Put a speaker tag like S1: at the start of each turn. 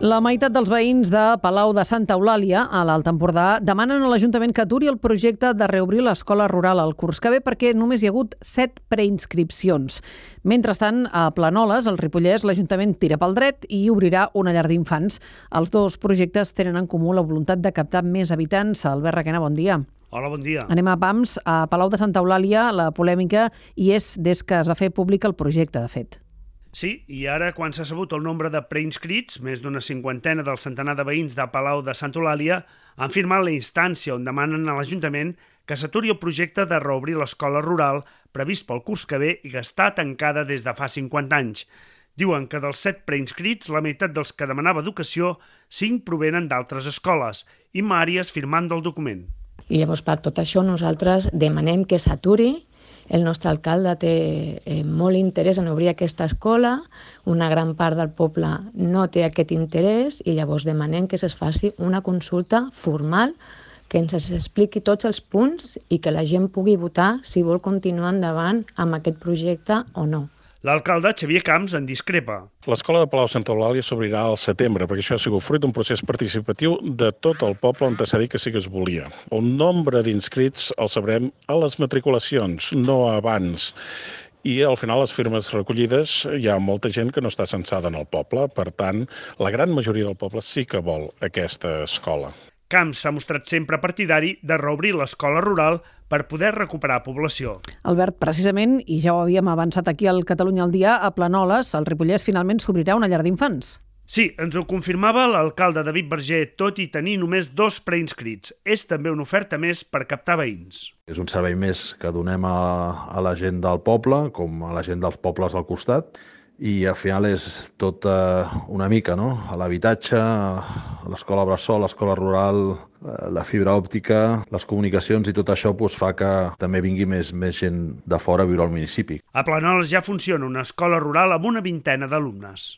S1: La meitat dels veïns de Palau de Santa Eulàlia, a l'Alt Empordà, demanen a l'Ajuntament que aturi el projecte de reobrir l'escola rural al curs que ve perquè només hi ha hagut 7 preinscripcions. Mentrestant, a Planoles, al Ripollès, l'Ajuntament tira pel dret i obrirà una llar d'infants. Els dos projectes tenen en comú la voluntat de captar més habitants. Albert Requena, bon dia.
S2: Hola, bon dia.
S1: Anem a pams. A Palau de Santa Eulàlia, la polèmica hi és des que es va fer públic el projecte, de fet.
S2: Sí, i ara, quan s'ha sabut el nombre de preinscrits, més d'una cinquantena del centenar de veïns de Palau de Santa Eulàlia han firmat la instància on demanen a l'Ajuntament que s'aturi el projecte de reobrir l'escola rural previst pel curs que ve i que està tancada des de fa 50 anys. Diuen que dels 7 preinscrits, la meitat dels que demanava educació, 5 provenen d'altres escoles. Imma Àries firmant del document.
S3: I llavors, per tot això, nosaltres demanem que s'aturi. El nostre alcalde té molt interès en obrir aquesta escola, una gran part del poble no té aquest interès i llavors demanem que es faci una consulta formal, que ens expliqui tots els punts i que la gent pugui votar si vol continuar endavant amb aquest projecte o no.
S2: L'alcalde, Xavier Camps, en discrepa.
S4: L'escola de Palau de Santa Eulàlia s'obrirà al setembre, perquè això ha sigut fruit d'un procés participatiu de tot el poble on s'ha dit que sí que es volia. El nombre d'inscrits el sabrem a les matriculacions, no abans. I al final les firmes recollides hi ha molta gent que no està censada en el poble, per tant, la gran majoria del poble sí que vol aquesta escola.
S2: Camps s'ha mostrat sempre partidari de reobrir l'escola rural per poder recuperar població.
S1: Albert, precisament, i ja ho havíem avançat aquí al Catalunya al dia, a Planoles, al Ripollès, finalment s'obrirà una llar d'infants.
S2: Sí, ens ho confirmava l'alcalde David Verger, tot i tenir només 2 preinscrits. És també una oferta més per captar veïns.
S5: És un servei més que donem a la gent del poble, com a la gent dels pobles al costat, i al final és tot una mica, no? L'habitatge, l'escola bressol, l'escola rural, la fibra òptica, les comunicacions i tot això fa que també vingui més gent de fora a viure al municipi.
S2: A Planoles ja funciona una escola rural amb una vintena d'alumnes.